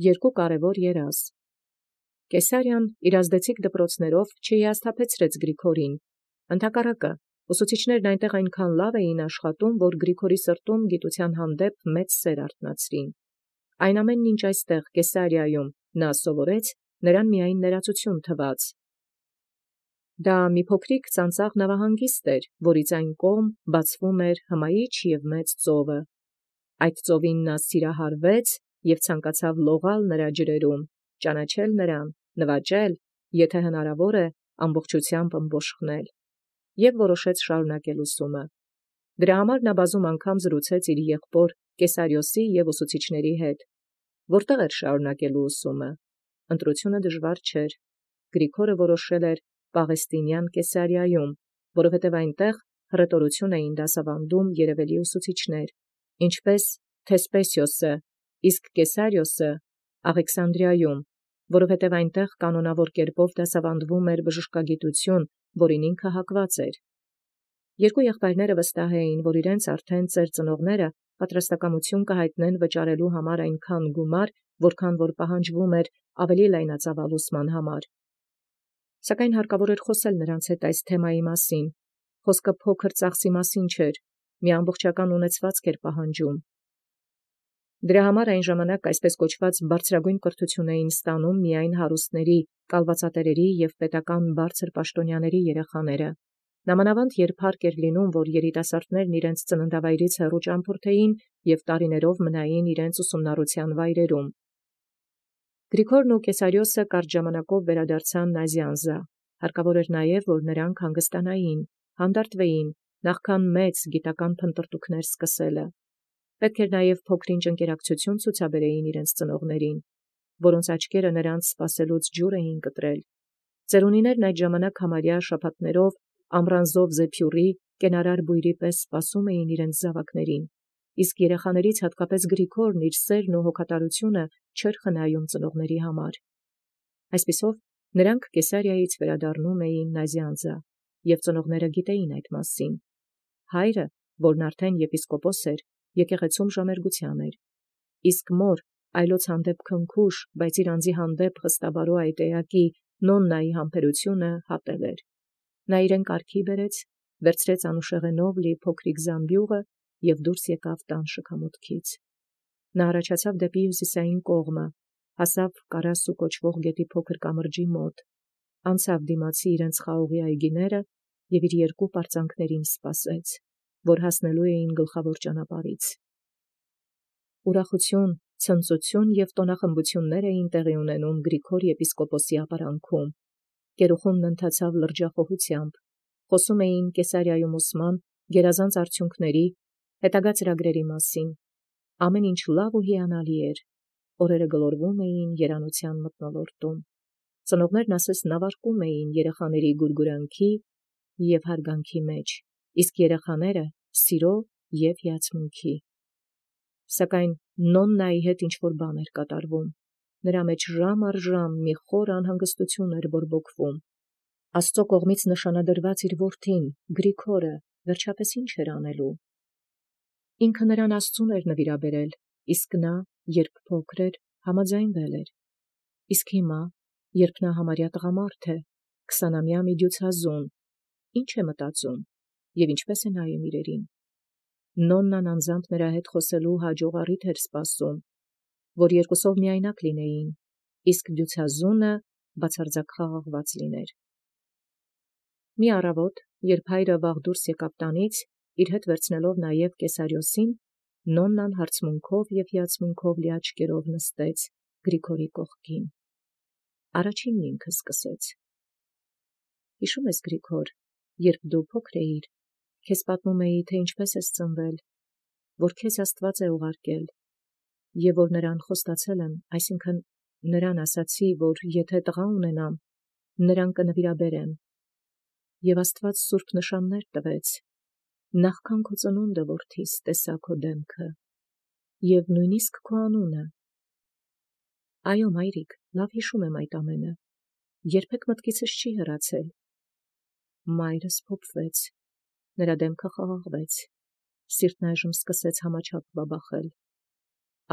երկու կարևոր երազ։ Կեսարիան իրազդեցիկ դպրոցներով չհիասթափեցրեց Գրիգորին, ընդհակառակը, ուսուցիչներն այնտեղ այնքան լավ էին աշխատում, որ Գրիգորի սրտում գիտության հանդեպ մեծ սեր արթնացրին։ Այն ամենն, ինչ այստեղ Կեսարիայում նա սովորեց, նրան միայն ներածություն թվաց։ Դա մի փոքրիկ ծանծաղ նավահանգիստ էր, որից այն կողմ բացվում էր հմայիչ և մեծ ծովը։ Այդ ծովին նա սիրահարվեց և ցանկացավ լողալ նրա ջրերում, ճանաչել նրան, նվաճել, եթե հնարավոր է, ամբողջությամբ ըմբոշխնել, և որոշեց շարունակել ուսումը։ Դրա համար նա բազում անգամ զրուցեց իր եղբոր Կեսարիոսի և ուսուցիչների հետ։ Որտեղ էր շարունակելու ուսումը։ Ընտրությունը դժվար չէր։ Գրիգորը որոշել էր Պաղեստինյան Կեսարիայում, որովհետև այնտեղ հռետորություն էին դասավանդում երևելի ուսուցիչներ, ինչպես Թեսպեսիոսը, իսկ Կեսարիոսը Աղեքսանդրիայում, որովհետև այնտեղ կանոնավոր կերպով դասավանդվում էր բժշկագիտություն, որին ինքը հակված էր։ Երկու եղբայրները վստահ էին, որ իրենց արդեն ծեր ծնողները պատրաստակամություն կհայտնեն վճարելու համար այնքան գումար, որքան որ պահանջվում էր ավելի լայնածավալ ուսման համար։ Սակայն հարկավոր էր խոսել նրանց հետ այս թեմայի մասին։ Խոսքը փոքր ծախսի մասին չէր, մի ամբողջական ունեցվածք էր պահանջում։ Դրա համար այն ժամանակ այսպես կոչված բարձրագույն կրթություն էին ստանում միայն հարուստների, կալվածատերերի և պետական բարձր պաշտոնյաների երեխաները։ Նամանավանդ երբ հարկ էր լինում, որ երիտասարդներն իրենց ծննդավայրից հեռու ճամփորդեին և տարիներով մնային իրենց ուսումնառության վայրերում։ Գրիգորն ու Կեսարիոսը կարճ ժամանակով վերադարձան Նազյանզա։ Հարկավոր էր նաև, որ նրանք հանգստանային, հանդարտվեին, նախքան մեծ գիտական փնտրտուքներ սկսելը։ Պետք էր նաև փոքրինչ ընկերակցություն ցուցաբերեին իրենց ծնողներին, որոնց աչքերը նրանց սպասելուց ջուր էին կտրել։ Ծերունիներն այդ ժամանակ համարյա շաբաթներով ամռանձով զեփյուռի, կենարար բույրի պես սպասում էին իրենց զավակներին, իսկ երեխաներից հատկապես Գրիգորն իր սերն ու հոգատարությունը չէր խնայում ծնողների համար։ Այսպիսով նրանք Կեսարիայից վերադառնում էին Նազյանզա, և ծնողները գիտեին այդ մասին։ Հայրը, որն արդեն եպիսկոպոս էր, եկեղեցում ժամերգության էր, իսկ մոր այլոց հանդեպ քնքուշ, բայց իր անձի հանդեպ խստաբարու այդ էակի Նոննայի համբերությունը հատել էր։ Նա իրեն կարգի բերեց, վերցրեց անուշեղենով լի փոքրիկ զամբյուղը և դուրս եկավ տան շքամուտքից։ Նա առաջացավ դեպի հյուսիսային կողմը, հասավ Կարասու կոչվող գետի փոքր կամրջի մոտ, անցավ դիմացի իրենց խաղողի այգիները և իր երկու պարծանքներին սպասեց, որ հասնելու էին գլխավոր ճանապարհից։ Ուրախություն, ցնծություն և տոնախմբություններ էին տեղի ունենում Գրիգոր եպիսկոպոսի ապարանքում։ Գերուխումն ընթացավ լրջախոհությամբ, խոսում էին Կեսարիայում ուսման գերազանց արդյունքների, հետագա ծրագրերի մասին։ Ամեն ինչ լավ ու հիանալի էր, օրերը գլորվում էին երանության մթնոլորտում։ Ծնողներն ասես նավարկում էին երեխաների գուրգուրանքի և հարգանքի մեջ, իսկ երեխաները սիրո և հիացմունքի։ Սակայն Նոննայի հետ ինչ-որ բան էր կատարվում։ Նրա մեջ ժամ առ ժամ մի խոր անհանգստություն էր բորբոքվում։ Աստծո կողմից նշանադրված իր որդին, Գրիգորը, վերջապես ինչ էր անելու։ Ինքը նրան Աստծուն էր նվիրաբերել, իսկ նա, երբ փոքր էր, համաձայնվել էր։ Իսկ հիմա, երբ նա համարյա տղամարդ է, 20-ամյա մի դյուցազուն, ի՞նչ է մտածում և ինչպես է նայում իրերին։ Նոննան անձամբ նրա հետ խոսելու հաջող առիթ էր սպասում, որ երկուսով միայնակ լինեին, իսկ դյուցազունը բացարձակ խաղաղված լիներ։ Մի առավոտ, երբ հայրը վաղ դուրս եկավ տանից, իր հետ վերցնելով նաև Կեսարիոսին, Նոննան հարցմունքով և հիացմունքով լի աչքերով նստեց Գրիգորի կողքին։ Առաջինն ինքը սկսեց. «Հիշո՞ւմ ես, Գրիգոր, երբ դու փոքր էիր, քեզ պատմում էի, թե ինչպես ես ծնվել, որ քեզ Աստված է ուղարկել, և որ նրան խոստացել եմ, այսինքն նրան ասացի, որ եթե տղա ունենամ, նրան կնվիրաբերեմ, և Աստված սուրբ նշաններ տվեց, նախքան քո ծնունդը, որդիս, տեսա քո դեմքը, և նույնիսկ քո անունը։ Այո, մայրիկ, լավ հիշում եմ այդ ամենը, երբեք մտքիցս չի հեռացել»։ Մայրս փոփվեց, նրա դեմքը խաղաղվեց, սիրտն այժմ սկսեց համաչափ բաբախել,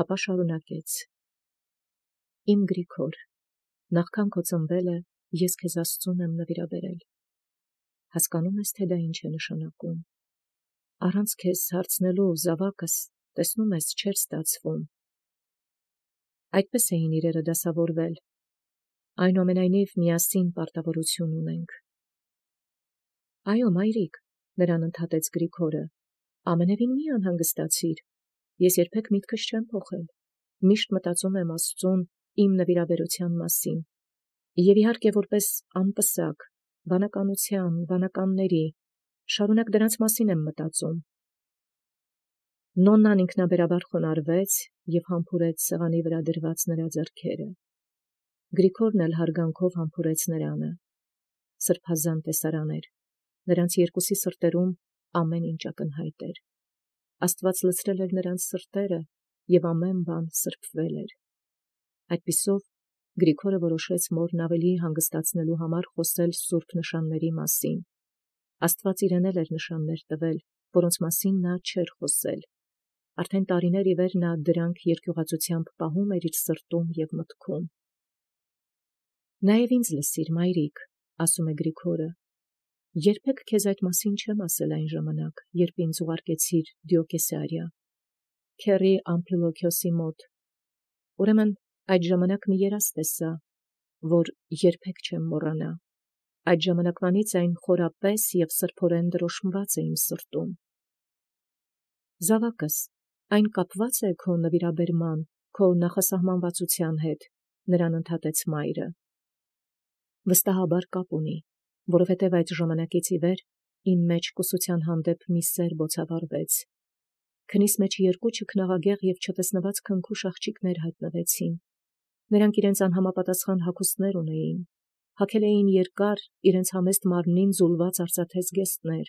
ապա շարունակեց. Իմ Գրիգոր, նախքան քո ծնվելը ես քեզ Աստծուն եմ նվիրաբերել։ Հասկանում ես, թե դա ինչ է նշանակում։ Առանց քեզ հարցնելու զավակս, տեսնում ես, չէր ստացվում։ Այդպես էին իրերը դասավորվել։ Այնուամենայնիվ միասին պարտավորություն ունենք։ Այո, մայրիկ, նրան ընդհատեց Գրիգորը, ամենևին մի անհանգստացիր, ես երբեք միտքս չեմ փոխել, միշտ մտածում եմ Աստծուն իմ նվիրաբերության մասին, և իհարկե որպես անպսակ, բանականության, բանականների, շարունակ դրանց մասին եմ մտածում։ Նոննան ինքնաբերաբար խոնարհվեց և համբուրեց սեղանի վրա դրված նրա ձեռքերը։ Գրիգորն էլ հարգանքով համբուրեց նրանը։ Սրբազան տեսարան էր, նրանց երկուսի սրտերում ամեն ինչ ակնհայտ էր։ Աստված լցրել էր նրանց սրտերը, և ամեն բան սրբվել էր։ Այդպիսով Գրիգորը որոշեց մորն ավելի հանգստացնելու համար խոսել սուրբ նշանների մասին։ Աստված իրեն էլ էր նշաններ տվել, որոնց մասին նա չէր խոսել։ Արդեն տարիներ ի վեր նա դրանք երկյուղածությամբ պահում էր իր սրտում և մտքում։ Նաև ինձ լսիր, մայրիկ, ասում է Գրիգորը, երբեք քեզ այդ մասին չեմ ասել այն ժամանակ, երբ ինձ ուղարկեցիր Դիոկեսիարիա, քեռի Ամփիլոքիոսի մոտ։ Ուրեմն այդ ժամանակ մի երազ տեսա, որ երբեք չեմ մոռանա։ Այդ ժամանակվանից այն խորապես և սրբորեն դրոշմված է իմ սրտում։ Զավակս, այն կապված է քո նվիրաբերման, քո նախասահմանվածության հետ, նրան ընդհատեց մայրը։ Վստահաբար կապ ունի, որովհետև այդ ժամանակից ի վեր իմ մեջ կուսության հանդեպ մի սեր բոցավառվեց։ Քնիս մեջ երկու չքնաղագեղ և չտեսնված քնքուշ աղջիկներ հայտնվեցին։ Նրանք իրենց անհամապատասխան հագուստներ ունեին, հագել էին երկար, իրենց համեստ մարմնին զուլված արծաթե զգեստներ։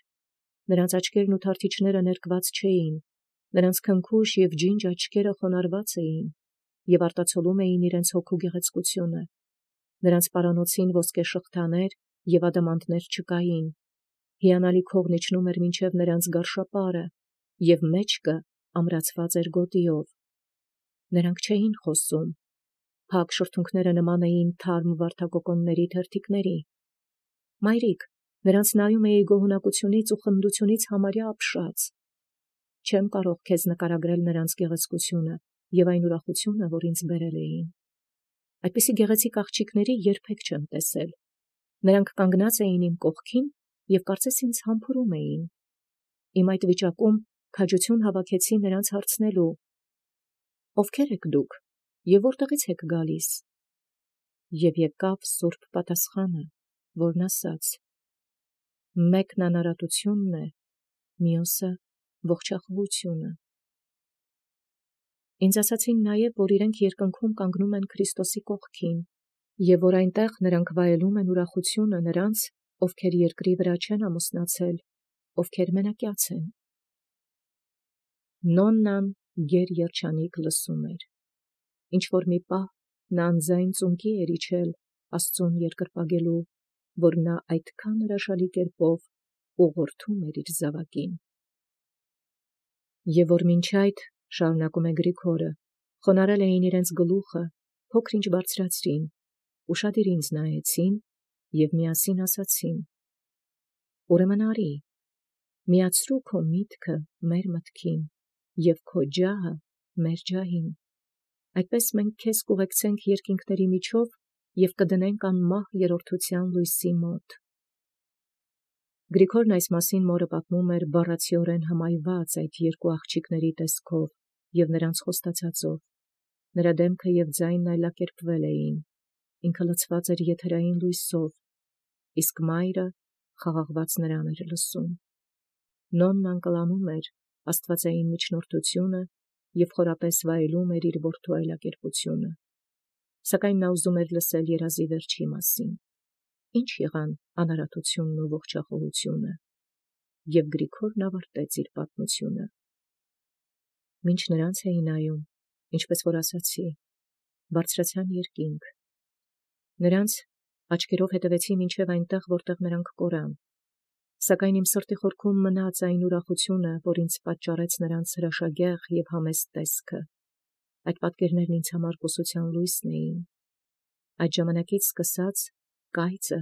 Նրանց աչքերն ու թարթիչները ներկված չէին, նրանց քնքուշ և ջինջ աչքերը խոնարհված էին և արտացոլում էին իրենց հոգու գեղեցկությունը։ Նրանց պարանոցին ոսկե շղթաներ և ադամանդներ չկային։ Հիանալի քողն իջնում էր մինչև նրանց գարշապարը, և մեջքը ամրացված էր գոտիով։ Նրանք չէին խոսում։ Փակ շրթունքները նման էին թարմ վարդակոկոնների թերթիկների։ Մայրիկ, նրանց նայում էի գոհունակությունից ու խնդությունից համարյա ապշած։ Չեմ կարող քեզ նկարագրել նրանց գեղեցկությունը և այն ուրախությունը, որ ինձ բերել էին։ Այդպիսի գեղեցիկ աղջիկների երբեք չեմ տեսել։ Նրանք կանգնած էին իմ կողքին և կարծես ինձ համբուրում էին։ Իմ այդ վիճակում քաջություն հավաքեցի նրանց հարցնելու. «Ովքեր եք դուք և որտեղից եք գալիս»։ Եվ եկավ սուրբ պատասխանը, որն ասաց. «Մեկն անարատությունն է, մյուսը ողջախոհությունը»։ Ինձ ասացին նաև, որ իրենք երկնքում կանգնում են Քրիստոսի կողքին, և որ այնտեղ նրանք վայելում են ուրախությունը նրանց, ովքեր երկրի վրա չեն ամուսնացել, ովքեր մենակյաց են։ Նոննան գերերջանիկ լսում էր։ Ինչ-որ մի պահ նա անձայն ծունկի էր իջել Աստծուն երկրպագելու, որ նա այդքան հրաշալի կերպով ուղղորդում էր իր զավակին։ Եվ որ մինչ այդ, շարունակում է Գրիգորը, խոնարհել էին իրենց գլուխը, փոքր-ինչ բարձրացրին, ուշադիր ինձ նայեցին և միասին ասացին. «Ուրեմն արի, միացրու քո միտքը մեր մտքին և քո ջահը մեր ջահին, այդպես մենք քեզ կուղեկցենք երկինքների միջով և կդնենք անմահ երրորդության լույսի մոտ»։ Գրիգորն այս մասին մորը պատմում էր բառացիորեն հմայված այդ երկու աղջիկների տեսքով և նրանց խոստացածով։ Նրա դեմքը և ձայնն այլակերպվել էին, ինքը լցված էր եթերային լույսով, իսկ մայրը խաղաղված նրան էր լսում։ Նոննան կլանում էր աստվածային միջնորդությունը և խորապես վայելում էր իր որդու այլակերպությունը։ Սակայն նա ուզում էր լսել երազի վերջի մասին։ Ինչ եղան անարատությունն ու ողջախոհությունը։ Եվ Գրիգորն ավարտեց իր պատմությունը։ Մինչ նրանց էի նայում, ինչպես որ ասացի, բարձրացան երկինք։ Նրանց աչքերով հետևեցի մինչև այնտեղ, որտեղ նրանք կորան։ Սակայն իմ սրտի խորքում մնաց այն ուրախությունը, որ ինձ պատճառեց նրանց հրաշագեղ և համեստ տեսքը։ Այդ պատկերներն ինձ համար կուսության լույսն էին, Այդ ժամանակից սկսած կայծը,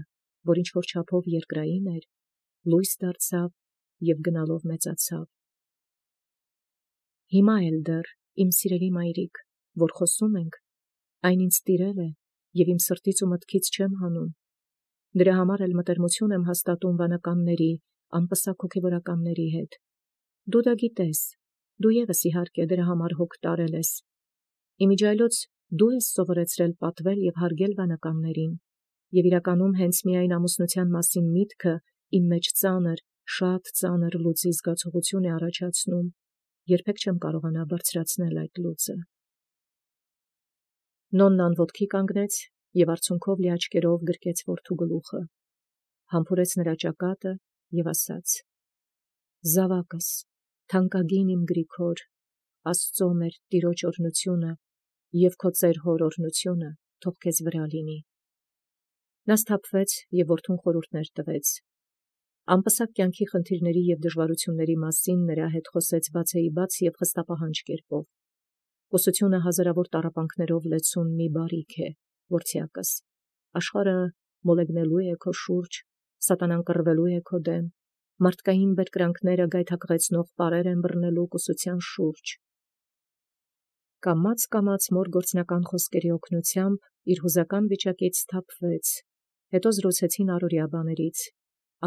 որ ինչ որ չափով երկրային էր, լույս դարձավ և գնալով մեծացավ։ Հիմա էլ դեռ, իմ սիրելի մայրիկ, որ խոսում ենք, այն ինձ տիրել է և իմ սրտից ու մտքից չեմ հանում։ Դրա համար էլ մտերմություն եմ հաստատում վանականների, անպսակ հոգևորականների հետ։ Դու դա գիտես, դու ևս իհարկե դրա համար հոգ տարել ես։ Իմիջիայլոց դու ես սովորեցրել պատվել և հարգել վանականներին, և իրականում հենց միայն ամուսնության մասին միտքը իմ մեջ ծանր, շատ ծանր լուծի զգացողություն է առաջացնում, երբեք չեմ կարողանա բարձրացնել այդ լուծը։ Նոննան ոտքի կանգնեց և արցունքով լի աչքերով գրկեց որդու գլուխը, համբուրեց նրա ճակատը և ասաց. «Զավակս, թանկագին իմ Գրիգոր, Աստծո մեր Տիրոջ օրհնությունը և քո ծեր հոր օրհնությունը թող քեզ վրա լինի»։ Նա սթափվեց և որդուն խորհուրդներ տվեց։ Անպսակ կյանքի խնդիրների և դժվարությունների մասին նրա հետ խոսեց բացեիբաց և խստապահանջ կերպով։ Ուսությունը հազարավոր տառապանքներով լեցուն մի բարիք է, որդյակս։ Աշխարհը մոլեգնելու է քո շուրջ, սատանան կռվելու է քո դեմ, մարդկային բերկրանքները գայթակղեցնող պարեր են բռնելու կուսության շուրջ։ Կամաց մոր գործնական խոսքերի օգնությամբ իր հուզական վիճակից սթափվեց, հետո զրուցեցին առօրյա բաներից,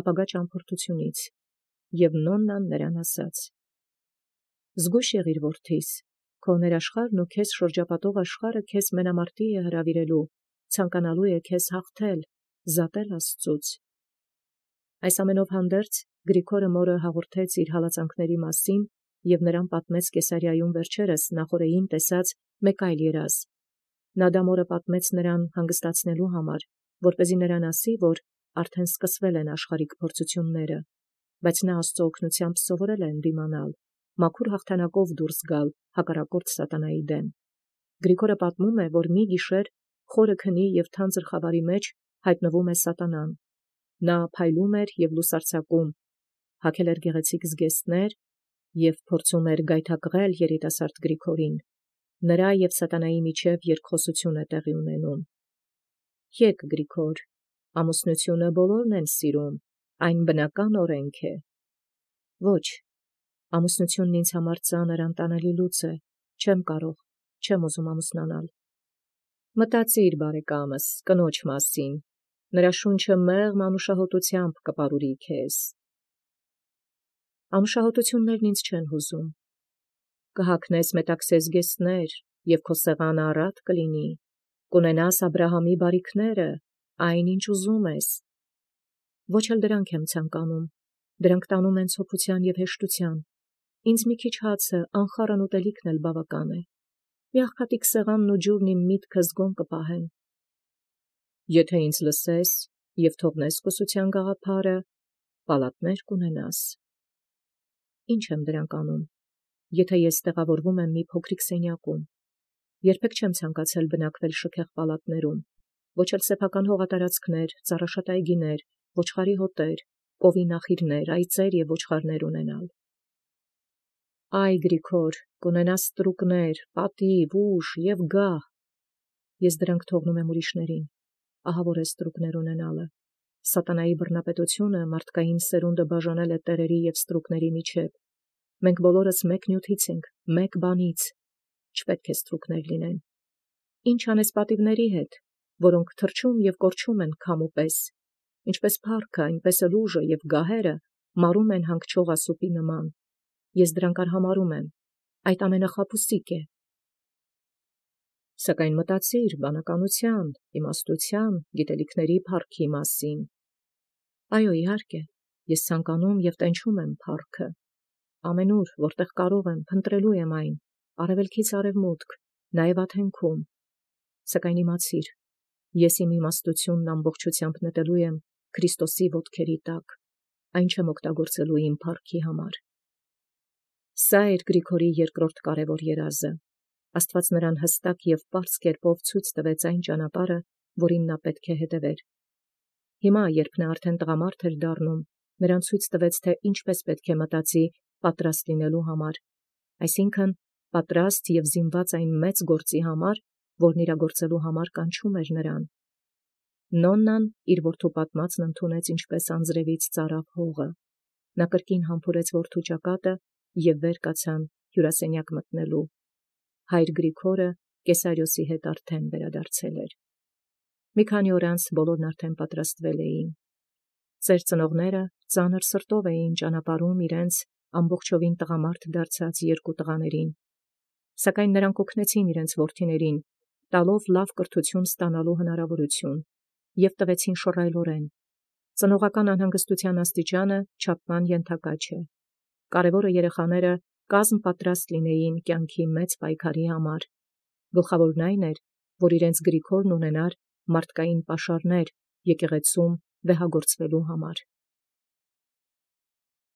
ապագա ճամփորդությունից, և Նոննան նրան ասաց. «Զգույշ եղիր, որդիս, քո ներաշխարհն ու քեզ շրջապատող աշխարհը քեզ մենամարտի է հրավիրելու, ցանկանալու է քեզ հաղթել, զատել Աստծուց»։ Այս ամենով հանդերձ Գրիգորը մորը հաղորդեց իր հալածանքների մասին և նրան պատմեց Կեսարիայում վերջերս նախօրեին տեսած մեկ այլ երազ։ Նա դա մորը պատմեց նրան հանգստացնելու համար, որպեսզի նրան ասի, որ արդեն սկսվել են աշխարհիկ փորձությունները, բայց նա Աստծո օգնությամբ սովորել է ընդդիմանալ, մաքուր հաղթանակով դուրս գալ հակառակորդ սատանայի դեմ։ Գրիգորը պատմում է, որ մի գիշեր խորը քնի և թանձր խավարի մեջ հայտնվում է սատանան։ Նա փայլում էր և լուսարձակում, հագել էր գեղեցիկ զգեստներ և փորձում էր գայթակղել երիտասարդ Գրիգորին։ Նրա և սատանայի միջև երկխոսություն է տեղի ունենում։ «Եկ, Գրիգոր, ամուսնությունը բոլորն են սիրում, այն բնական օրենք է»։ «Ոչ, ամուսնությունն ինձ համար ծանր անտանելի լուծ է, չեմ կարող, չեմ ուզում ամուսնանալ»։ Մտածիր, բարեկամս, կնոջ մասին, նրա շունչը մեղմ անուշահոտությամբ կպարուրի քեզ։ Անուշահոտություններն ինձ չեն հուզում։ Կհագնես մետաքսե զգեստներ, և քո սեղանը առատ կլինի, կունենաս Աբրահամի բարիքները, այն, ինչ ուզում ես։ Ոչ էլ դրանք եմ ցանկանում, դրանք տանում են ցոփության և հեշտության։ Ինձ մի քիչ հացը, անխառն ուտելիքն էլ բավական է։ Մի աղքատիկ սեղանն ու ջուրն իմ միտքը զգոն կպահեն։ Եթե ինձ լսես և թողնես կուսության գաղափարը, պալատներ կունենաս։ Ինչ եմ դրանք անում, եթե ես տեղավորվում եմ մի փոքրիկ սենյակում։ Երբեք չեմ ցանկացել բնակվել շքեղ պալատներում, ոչ էլ սեփական հողատարածքներ, ծառաշատ այգիներ, ոչխարի հոտեր, կովի նախիրներ, այծեր և ոչխարներ ունենալ։ Այ, Գրիգոր, կունենաս ստրուկներ, պատիվ, ուժ և գահ։ Ես դրանք թողնում եմ ուրիշներին։ Ահավոր է ստրուկներ ունենալը։ Սատանայի բռնապետությունը մարդկային սերունդը բաժանել է տերերի և ստրուկների միջև։ Մենք բոլորս մեկ նյութից ենք, մեկ բանից։ Չպետք է ստրուկներ լինեն։ Ինչ անես պատիվների հետ, որոնք թռչում և կորչում են քամու պես, ինչպես փառքը, այնպես էլ ուժը և գահերը մարում են հանգչող ասուպի նման։ Ես դրանք արհամարհում եմ։ Այդ ամենը խաբուսիկ է։ Սակայն մտածիր բանականության, իմաստության, գիտելիքների փառքի մասին։ Այո, իհարկե, ես ցանկանում և տենչում եմ փառքը։ Ամենուր, որտեղ կարող եմ, փնտրելու եմ այն, արևելքից արևմուտք, նաև աթենքում։ Սակայն իմացիր, ես իմ իմաստությունն ամբողջությամբ նետելու եմ Քրիստոսի ոտքերի տակ, այն չեմ օգտագործելու իմ փառքի համար։ Սա էր Գրիգորի երկրորդ կարևոր երազը։ Աստված նրան հստակ և պարզ կերպով ցույց տվեց այն ճանապարհը, որին նա պետք է հետևեր։ Հիմա, երբ նա արդեն տղամարդ էր դառնում, նրան ցույց տվեց, թե ինչպես պետք է մտածի պատրաստ լինելու համար, այսինքն պատրաստ և զինված այն մեծ գործի համար, որն իրագործելու համար կանչում էր նրան, Նոննան իր որդու պատմածն ընդունեց ինչպես անձրևից ծարավ հողը։ Նա կրկին համբուրեց որդու ճակատը և վեր կացան հյուրասենյակ մտնելու։ Հայր Գրիգորը Կեսարիոսի հետ արդեն վերադարձել էր։ Մի քանի օր անց բոլորն արդեն պատրաստվել էին։ Ծեր ծնողները ծանր սրտով էին ճանապարհում իրենց ամբողջովին տղամարդ դարձած երկու տղաներին, սակայն նրանք օգնեցին իրենց որդիներին, տալով լավ կրթություն ստանալու հնարավորություն և տվեցին շռայլորեն։ Ծնողական անհանգստության աստիճանը չափման ենթակա չէ։ Կարևորը երեխաները կազմ պատրաստ լինեին կյանքի մեծ պայքարի համար։ Գլխավորն այն էր, որ իրենց Գրիգորն ունենար մարդկային պաշարներ եկեղեցում վեհագործվելու համար։